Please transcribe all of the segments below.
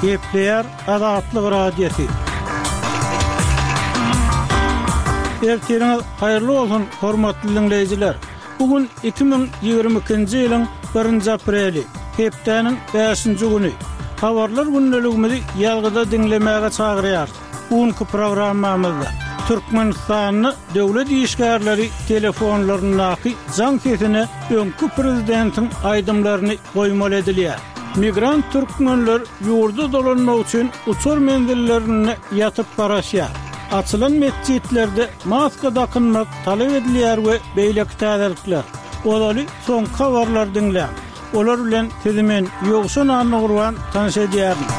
Gepleýär Azatlyk Radiosy. Ertiriňiz haýyrly bolsun, hormatly diňleýjiler! Bu gün 2022-nji ýylyň birinji apreli, hepdäniň bäşinji güni. Habarlar gündeligimizi ýazgyda diňlemäge çagyrýarys. Bu günki programmamyzda Türkmenistanda döwlet işgärleri telefonlaryndaky jaň sesine öňki prezidentiň aýdymlaryny goýmaly edilýär. Migrant türkmenler ýurda dolanmak üçin uçar menzillerinde ýatyp garaşýar. Açylan metjitlerde maska dakynmak talap edilýär we beýleki täzelikler. Ozaly soňky habarlary diňläň. Olar bilen sizi men, Ýowşan Annagurban tanyş edýärin.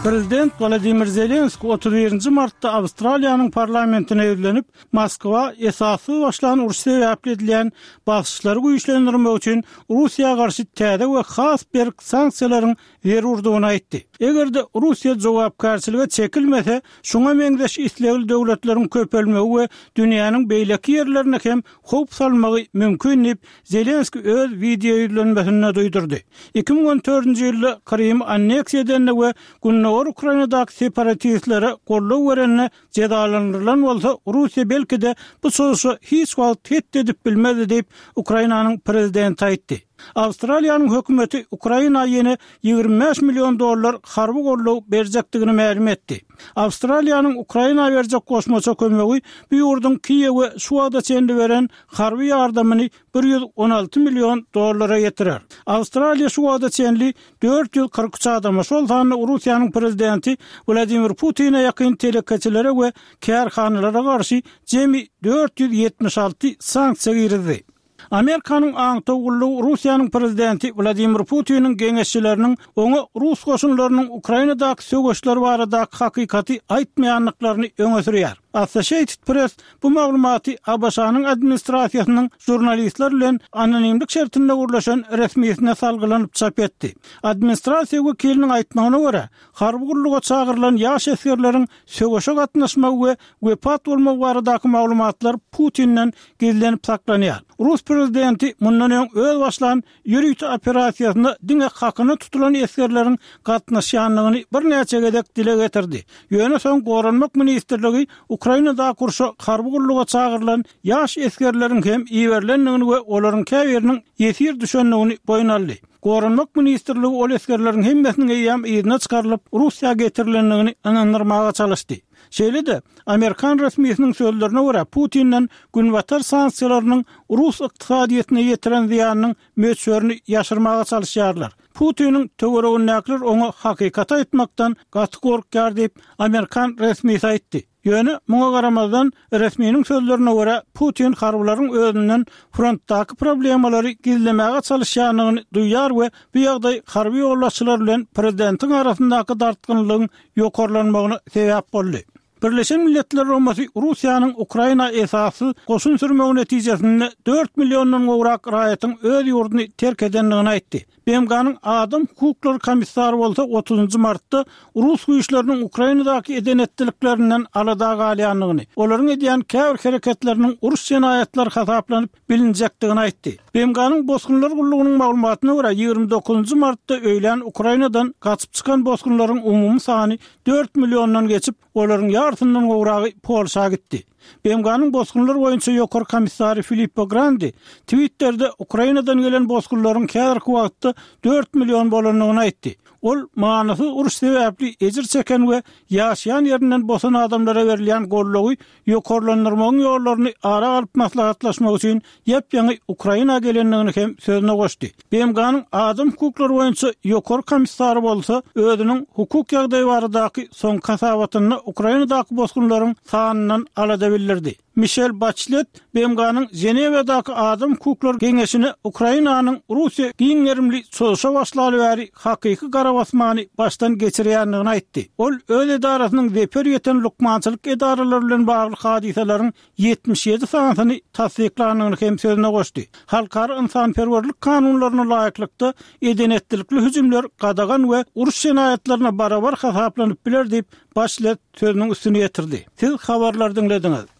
Prezident Wolodymyr Zelenskiý 31-nji martda Awstraliýanyň parlamentine ýüzlenip, Moskwa esassyz başlan uruş sebäpli edilýän basyşlary güýçlendirmek üçin Russiýa garşy täze we has berk sanksiýalaryň zerurdygyny aýtdy. Eger-de Russiýa jogapkärçilige çekilmese, şuňa meňzeş islegli döwletleriň köpelmegi we dünýäniň beýleki ýerlerine hem howp salmagy mümkin diýip, Zelenskiý öz wideoýüzlenmesinde duýdurdy. 2014-nji ýylda Krymy anneksiýa edende we gündogar Ukrainadaky separatistlere goldaw berende jezalandyrylan bolsa, Russiýa belki-de bu çozuşa hiç wagt het edip bilmezdi diýip, Ukrainanyň prezidenti aýtdy. Awstraliýanyň hökümeti Ukraina ýene 25 million dollar harby goldaw berjekdigini mälim etdi. Awstraliýanyň Ukraina berjek goşmaça kömegi bu ýurduň Kiýewe şu wagta çenli beren harby ýardamyny 116 million dollara ýetirer. Awstraliýa şu wagta çenli 443 adama, şol sanda Russiýanyň prezidenti Wladimir Putine ýakyn telekeçilere we kärhanalara garşy jemi 476 sanksiýa girizdi. Amerikanyň aňtaw gullugy Russiýanyň prezidenti Wladimir Putiniň geňeşçileriniň oňa rus goşunlarynyň Ukrainadaky söweşler baradaky hakykaty aýtmaýandyklaryny öňe sürýär. Associated Press Bu maglumaty ABŞ-nyň administrasiýasynyň žurnalistler bilen anonimlik şertinde gürleşen resmisine salgylanyp çap etdi. Administrasiýa wekiliniň aýtmagyna görä, harby gulluga çagyrylan ýaş esgerleriň söweşe gatnaşmagy we wepat bolmagy baradaky maglumatlar Putinden gizlenip saklanýar. Rus prezidenti mundan öň öz başlan Ýörite operasiýasyna diňe hakyna tutulan esgerleriň gatnaşýandygyny birnäçe gezek dile getirdi. Ýöne soň Goranmak ministrligi Ukrainadaky urşa harby gulluga çagyrylan ýaş esgerleriň hem iberilendigini we olaryň käbiriniň ýesir düşendigini boýun aldy. Goranmak ministrligi ol esgerleriň hemmesiniň eýýäm yzyna çykarylyp, Russiýa getirilendigini ynandyrmaga çalyşdy. Şeýle-de, amerikan resmisiniň sözlerine görä, Putinden Günbatar sanksiýalarynyň rus ykdysadyýetine ýetiren zyýanynyň möçberini ýaşyrmaga çalyşýarlar. Putiniň töweregindäkiler oňa hakykaty aýtmakdan gaty gorkýar diýip, amerikan resmisi aýtdy. Ýöne, muňa garamazdan, resminiň sözlerine görä, Putin harbylaryň özünden frontdaky problemalary gizlemäge çalyşýandygyny duýýar we bu ýagdaý harby ýolbaşçylar bilen prezidentiň arasyndaky dartgynlygyň ýokarlanmagyna sebäp boldy. Birleşen Milletler Guramasy Russiýanyň Ukraina esassyz goşun sürmegi netijesinde dört milliondan gowrak raýatyň öz ýurduny terk edendigini aýtdy. BMG-niň Adam hukuklary komissary bolsa otuzynjy martda rus güýçleriniň Ukrainadaky eden-etdiliklerinden alada galýandygyny, olaryň edýän käbir hereketleriniň uruş jenaýatlary hasaplanyp bilinjekdigini aýtdy. BMG-niň Bosgunlar gullugynyň maglumatyna görä, 29 martda öýlän Ukrainadan gaçyp çykan bosgunlaryň umumy sany dört milliondan geçip, olaryň ýarysyndan gowragy Polşa gitdi. BMG-niň Bosgunlar boýunça ýokary komissary Filippo Grandi Twitterde Ukrainadan gelen bosgunlaryň häzirki wagtda dört million bolandygyny aýtdy. Ol manysyz uruş sebäpli ejir çeken we ýaşaýan ýerinden bosan adamlara berilýän goldawy ýokarlandyrmagyň ýollaryny ara alyp maslahatlaşmak üçin ýap-ýaňy Ukraina gelendigini hem sözüne goşdy. BMG-niň Adam hukuklary boýunça Ýokary komissary bolsa özüniň hukuk ýagdaýy baradaky soňky hasabatynda Ukrainadaky bosgunlaryň sanyndan alada bildirdi. Mişel Baçlet BMG-niň Ženewadaky Adam hukuklary geňeşine Ukrainanyň Russiýa giň gerimli çozuşa başlaly bäri hakyky garabasmany başdan geçirýändigini aýtdy. Ol öz edarasynyň zeper ýeten lukmançylyk edaralary bilen bagly hadysalaryň 77 sanysyny tassyklandygyny hem sözüne goşdy. Halkara ynsanperwerlik kanunlaryna laýyklykda, eden-etdilikli hüjümler gadagan we uruş jenaýatlaryna barabar hasaplanyp biler diýip, Baçlet sözüniň üstüni ýetirdi. Siz habarlary diňlediňiz.